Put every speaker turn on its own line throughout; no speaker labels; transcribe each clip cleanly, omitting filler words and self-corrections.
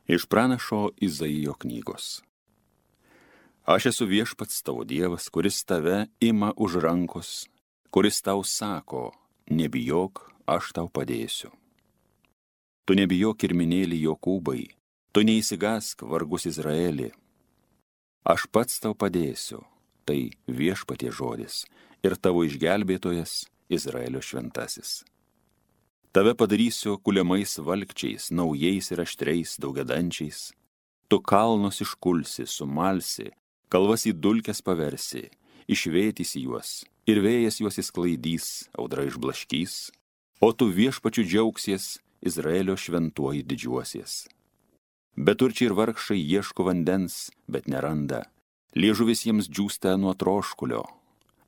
Iš pranašo Izaijo knygos. Aš esu viešpats tavo Dievas, kuris tave ima už rankos, kuris tau sako, nebijok, aš tau padėsiu. Tu nebijok kirminėlį Jokūbai, tu neįsigask vargus Izraelį. Aš pats tau padėsiu, tai viešpatie žodis ir tavo išgelbėtojas Izraelio šventasis. Tave padarysiu kuliamais valkčiais, naujais ir aštriais daugiadančiais. Tu kalnus iškulsi, sumalsi, kalvas į dulkes paversi, išvėtysi juos, ir vėjas juos įsklaidys, audra išblaškys, o tu viešpačiu džiaugsies, Izraelio šventuoji didžiuosies. Beturčiai ir vargšai ieško vandens, bet neranda, liežuvis jiems džiūsta nuo troškulio.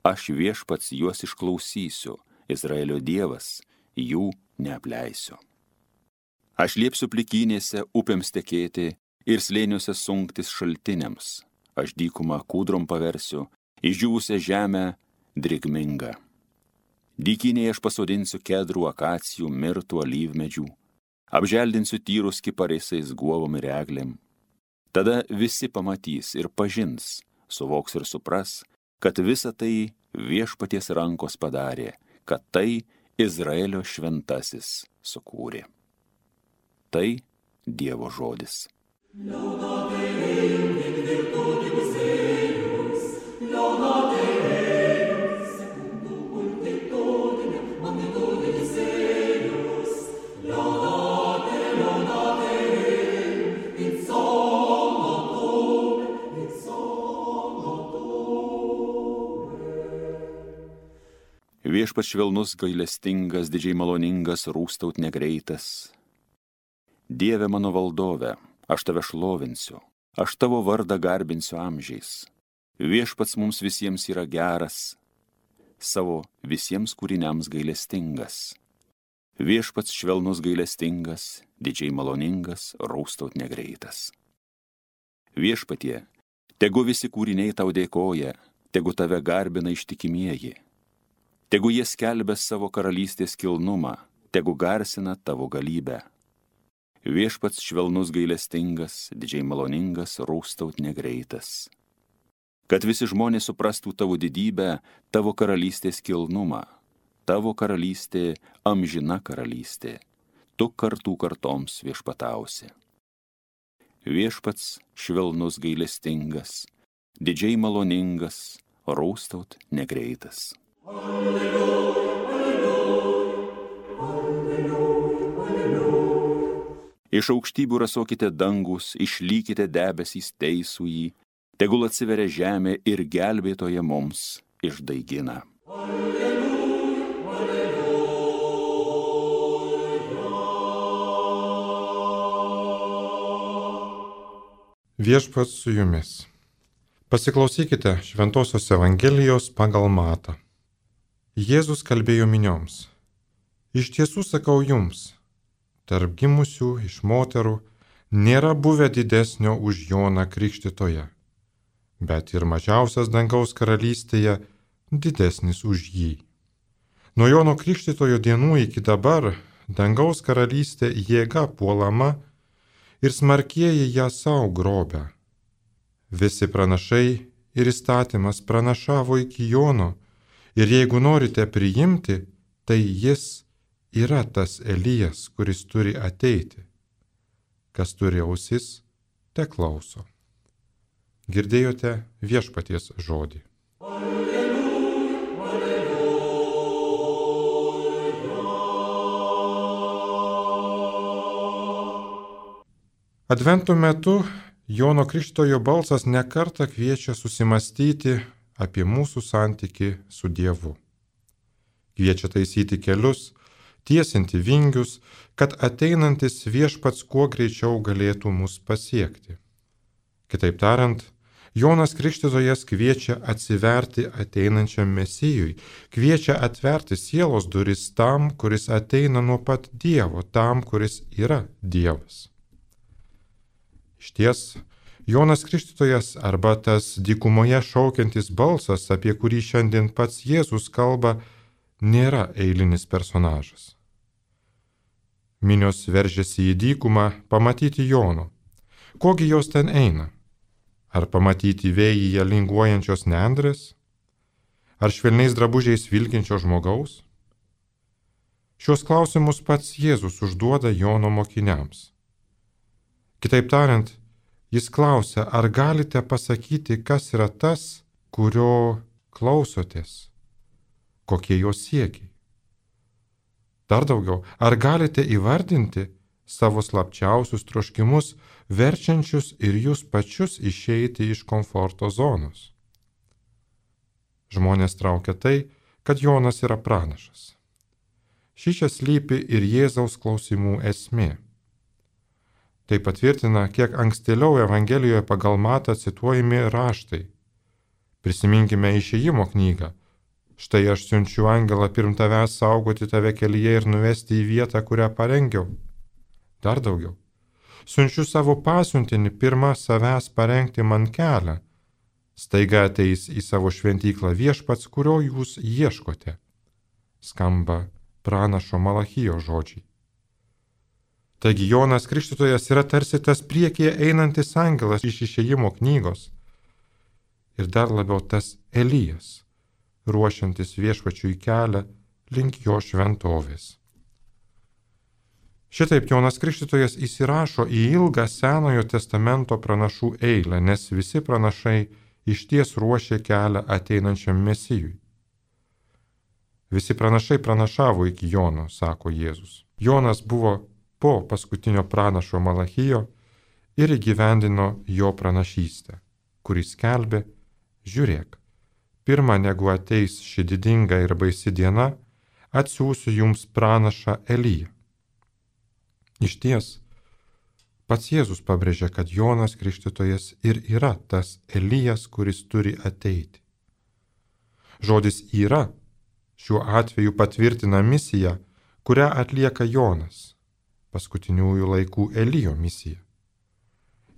Aš viešpats juos išklausysiu, Izraelio Dievas, jų neapleisiu. Aš liepsiu plikynėse upėms tekėti ir slėniuose sunktis šaltiniams. Aš dykumą kūdrom paversiu, išdžiūvusią žemę drėgmingą. Dykynėje aš pasodinsiu kedrų, akacijų, mirtų, alyvmedžių, apželdinsiu tyrus kiparisais, guovom ir eglėm. Tada visi pamatys ir pažins, suvoks ir supras, kad visa tai viešpaties rankos padarė, kad tai Izraelio šventasis sukūrė. Tai Dievo žodis. Viešpats švelnus, gailestingas, didžiai maloningas, rūstaut negreitas. Dieve mano valdove, aš tave šlovinsiu, aš tavo vardą garbinsiu amžiais. Viešpats mums visiems yra geras, savo visiems kūriniams gailestingas. Viešpats švelnus, gailestingas, didžiai maloningas, rūstaut negreitas. Viešpatie, tegu visi kūriniai tau dėkoja, tegu tave garbina ištikimieji. Tegu jie skelbia savo karalystės kilnumą, tegu garsina tavo galybę. Viešpats švelnus, gailestingas, didžiai maloningas, rūstaut negreitas. Kad visi žmonės suprastų tavo didybę, tavo karalystės kilnumą. Tavo karalystė amžina karalystė, tu kartų kartoms viešpatausi. Viešpats švelnus, gailestingas, didžiai maloningas, rūstaut negreitas. Iš aukštybių rasokite dangus, išlykite debesys teisųjį, tegul atsiveria žemė ir gelbėtoja mums išdaigina.
Viešpats su jumis. Pasiklausykite Šventosios Evangelijos pagal Matą. Jėzus kalbėjo minioms. Iš tiesų sakau jums, tarp gimusių iš moterų nėra buvę didesnio už Joną Krikštytoją, bet ir mažiausias dangaus karalystėje didesnis už jį. Nuo Jono Krikštytojo dienų iki dabar dangaus karalystė jėga puolama ir smarkieji ją sau grobia. Visi pranašai ir įstatymas pranašavo iki Jono, ir jeigu norite priimti, tai jis yra tas Elijas, kuris turi ateiti. Kas turi ausis, te klauso. Girdėjote viešpaties žodį. Advento metu Jono Krikštytojo balsas nekartą kviečia susimastyti apie mūsų santykį su Dievu. Kviečia taisyti kelius, tiesinti vingius, kad ateinantis viešpats kuo greičiau galėtų mus pasiekti. Kitaip tariant, Jonas Krikštytojas kviečia atsiverti ateinančiam Mesijui, kviečia atverti sielos duris tam, kuris ateina nuo pat Dievo, tam, kuris yra Dievas. Išties, Jonas Krikštytojas arba tas dykumoje šaukiantis balsas, apie kurį šiandien pats Jėzus kalba, nėra eilinis personažas. Minios veržėsi į dykumą pamatyti Jono, Kogi jos ten eina? Ar pamatyti vėjyje linguojančios nendrės? Ar švelniais drabužiais vilkinčio žmogaus? Šios klausimus pats Jėzus užduoda Jono mokiniams. Kitaip tariant, jis klausia, ar galite pasakyti, kas yra tas, kurio klausotės, kokie jo siekiai. Dar daugiau, ar galite įvardinti savo slapčiausius troškimus, verčiančius ir jūs pačius išeiti iš komforto zonos? Žmonės traukia tai, kad Jonas yra pranašas. Šičia slypi ir Jėzaus klausimų esmė. Tai patvirtina, kiek ankstėliau Evangelijoje pagal Matą cituojami raštai. Prisiminkime Išėjimo knygą. Štai aš siunčiu angelą pirm tavęs saugoti tave kelyje ir nuvesti į vietą, kurią parengiau. Dar daugiau. Siunčiu savo pasiuntinį pirmą savęs parengti man kelią. Staiga ateis į savo šventyklą viešpats, kurio jūs ieškote. Skamba pranašo Malachijo žodžiai. Taigi Jonas Krikštytojas yra tarsi tas priekyje einantis angelas iš Išėjimo knygos. Ir dar labiau tas Elijas, ruošiantis viešpačiui kelią link jo šventovės. Šitaip Jonas Krikštytojas įsirašo į ilgą Senojo testamento pranašų eilę, nes visi pranašai išties ruošė kelią ateinančiam Mesijui. Visi pranašai pranašavo iki Jono, sako Jėzus. Jonas buvo po paskutinio pranašo Malachijo ir įgyvendino jo pranašystę, kuris skelbė, žiūrėk, pirma negu ateis ši didinga ir baisi diena, atsiųsiu jums pranašą Eliją. Išties, pats Jėzus pabrėžia, kad Jonas Krikštytojas ir yra tas Elijas, kuris turi ateiti. Žodis yra šiuo atveju patvirtina misiją, kurią atlieka Jonas, paskutiniųjų laikų Elijo misija.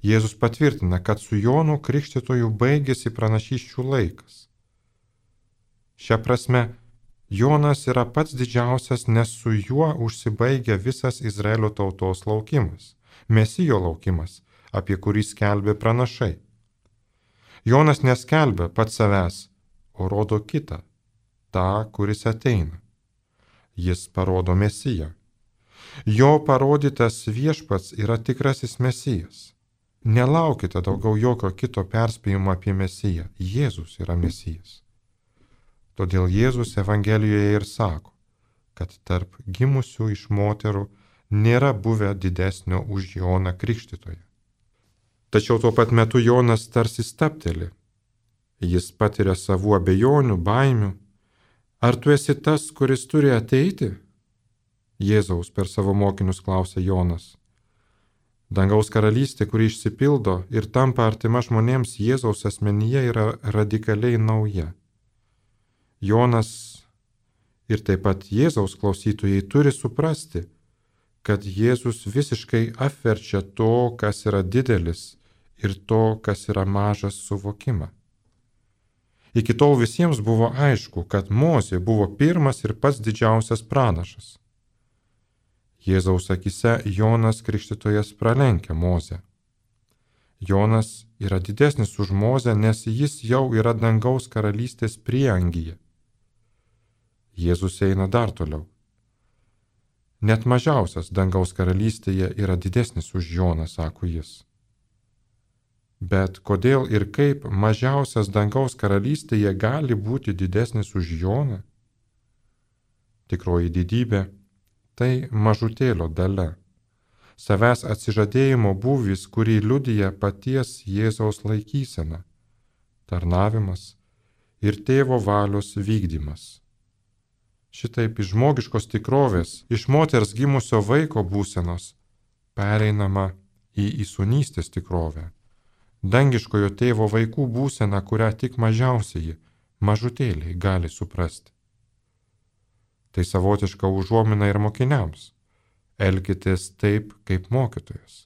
Jėzus patvirtina, kad su Jonu Krikštytoju baigėsi pranašysčių laikas. Šia prasme, Jonas yra pats didžiausias, nes su juo užsibaigia visas Izraelio tautos laukimas, Mesijo laukimas, apie kurį skelbė pranašai. Jonas neskelbia pats savęs, o rodo kitą, tą, kuris ateina. Jis parodo Mesiją. Jo parodytas viešpats yra tikrasis Mesijas. Nelaukite daugiau jokio kito perspėjimo apie Mesiją. Jėzus yra Mesijas. Todėl Jėzus Evangelijoje ir sako, kad tarp gimusių iš moterų nėra buvę didesnio už Joną Krikštytoją. Tačiau tuo pat metu Jonas tarsi stabteli. Jis patiria savų abejonių, baimių. Ar tu esi tas, kuris turi ateiti? Jėzaus per savo mokinius klausė Jonas. Dangaus karalystė, kuri išsipildo ir tampa artima žmonėms Jėzaus asmenyje, yra radikaliai nauja. Jonas ir taip pat Jėzaus klausytojai turi suprasti, kad Jėzus visiškai apverčia to, kas yra didelis ir to, kas yra mažas suvokimą. Iki tol visiems buvo aišku, kad Mozė buvo pirmas ir pats didžiausias pranašas. Jėzaus akise Jonas Krikštytojas pralenkia Mozę. Jonas yra didesnis už Mozę, nes jis jau yra dangaus karalystės prieangyje. Jėzus eina dar toliau. Net mažiausias dangaus karalystėje yra didesnis už Joną, sako jis. Bet kodėl ir kaip mažiausias dangaus karalystėje gali būti didesnis už Joną? Tikroji didybė – tai mažutėlio dalia, savęs atsižadėjimo būvis, kurį liudija paties Jėzaus laikysena, tarnavimas ir tėvo valios vykdymas. Šitaip iš žmogiškos tikrovės, iš moters gimusio vaiko būsenos, pereinama į įsūnystės tikrovę. Dangiškojo tėvo vaikų būsena, kurią tik mažiausieji, mažutėliai gali suprasti. Tai savotiška užuomina ir mokiniams. Elkitės taip, kaip mokytojas.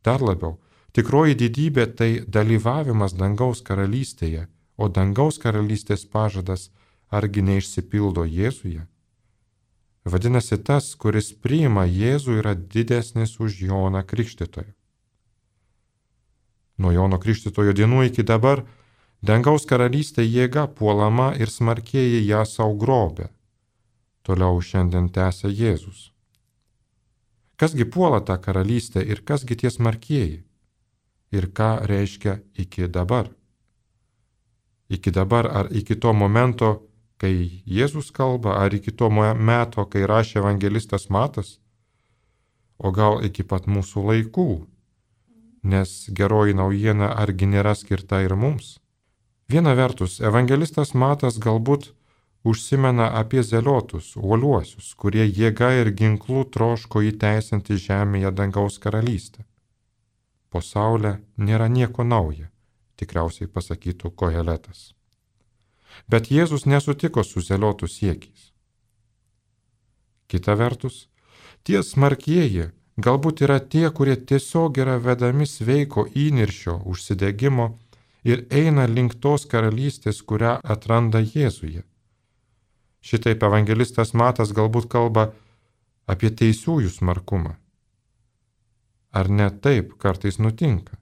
Dar labiau, tikroji didybė tai dalyvavimas dangaus karalystėje, o dangaus karalystės pažadas argi neišsipildo Jėzuje? Vadinasi, tas, kuris priima Jėzų, yra didesnis už Joną Krikštytoją. Nuo Jono Krikštytojo dienų iki dabar dangaus karalystė jėga puolama ir smarkieji ją sau grobia. Toliau šiandien tęsia Jėzus. Kasgi puola tą karalystę ir kasgi tie smarkieji? Ir ką reiškia iki dabar? Iki dabar ar iki to momento, kai Jėzus kalba, ar iki to meto, kai rašė evangelistas Matas? O gal iki pat mūsų laikų? Nes geroji naujiena argi nėra skirta ir mums? Viena vertus, evangelistas Matas galbūt užsimena apie zeliotus, uoliuosius, kurie jėga ir ginklų troško įteisinti žemėje dangaus karalystę. Po saule nėra nieko nauja, tikriausiai pasakytų Koheletas. Bet Jėzus nesutiko su zeliotų siekiais. Kita vertus, tie smarkieji galbūt yra tie, kurie tiesiog yra vedami sveiko įniršio, užsidegimo ir eina link tos karalystės, kurią atranda Jėzuje. Šitaip evangelistas Matas galbūt kalba apie teisiųjų smarkumą. Ar ne taip kartais nutinka?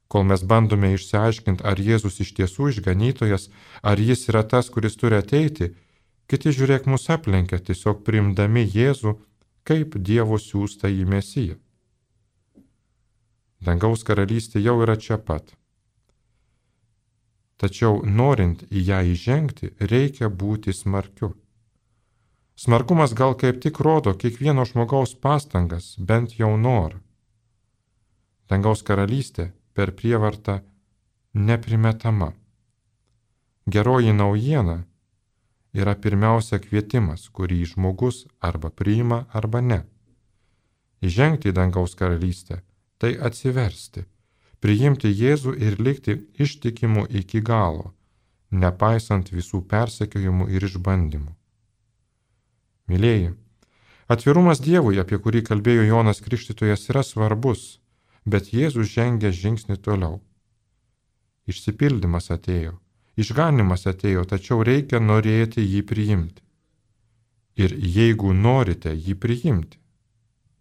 Kol mes bandome išsiaiškinti, ar Jėzus iš tiesų išganytojas, ar jis yra tas, kuris turi ateiti, kiti žiūrėk mus aplenkia, tiesiog priimdami Jėzų kaip Dievo siųstą į Mesiją. Dangaus karalystė jau yra čia pat. Tačiau norint į ją įžengti, reikia būti smarkiu. Smarkumas gal kaip tik rodo kiekvieno žmogaus pastangas, bent jau norą. Dangaus karalystė per prievartą neprimetama. Geroji naujiena yra pirmiausia kvietimas, kurį žmogus arba priima, arba ne. Įžengti į dangaus karalystę – tai atsiversti, priimti Jėzų ir likti ištikimu iki galo, nepaisant visų persekiojimų ir išbandymų. Mylėjai, atvirumas Dievui, apie kurį kalbėjo Jonas Krikštytojas, yra svarbus, bet Jėzus žengia žingsnį toliau. Išsipildymas atėjo, išganymas atėjo, tačiau reikia norėti jį priimti. Ir jeigu norite jį priimti,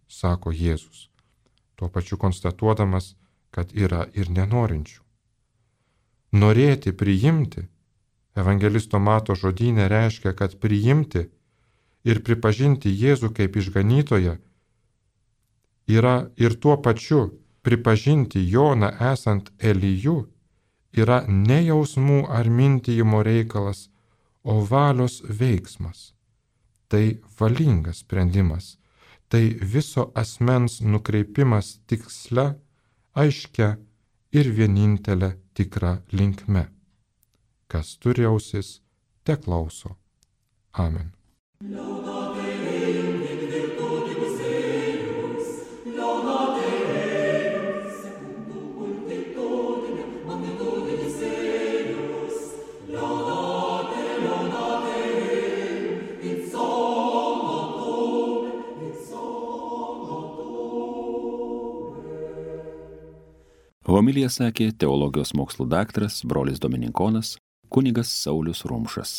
sako Jėzus, tuo pačiu konstatuodamas, kad yra ir nenorinčių. Norėti priimti, evangelisto Mato žodyne reiškia, kad priimti ir pripažinti Jėzų kaip išganytoją yra ir tuo pačiu pripažinti Joną esant Eliju yra ne jausmų ar mintijimo reikalas, o valios veiksmas. Tai valingas sprendimas, tai viso asmens nukreipimas tiksle, aiškia ir vienintelė tikra linkme. Kas turi ausis, te klauso. Amen.
Homiliją sakė teologijos mokslų daktaras, brolis dominikonas, kunigas Saulius Rumšas.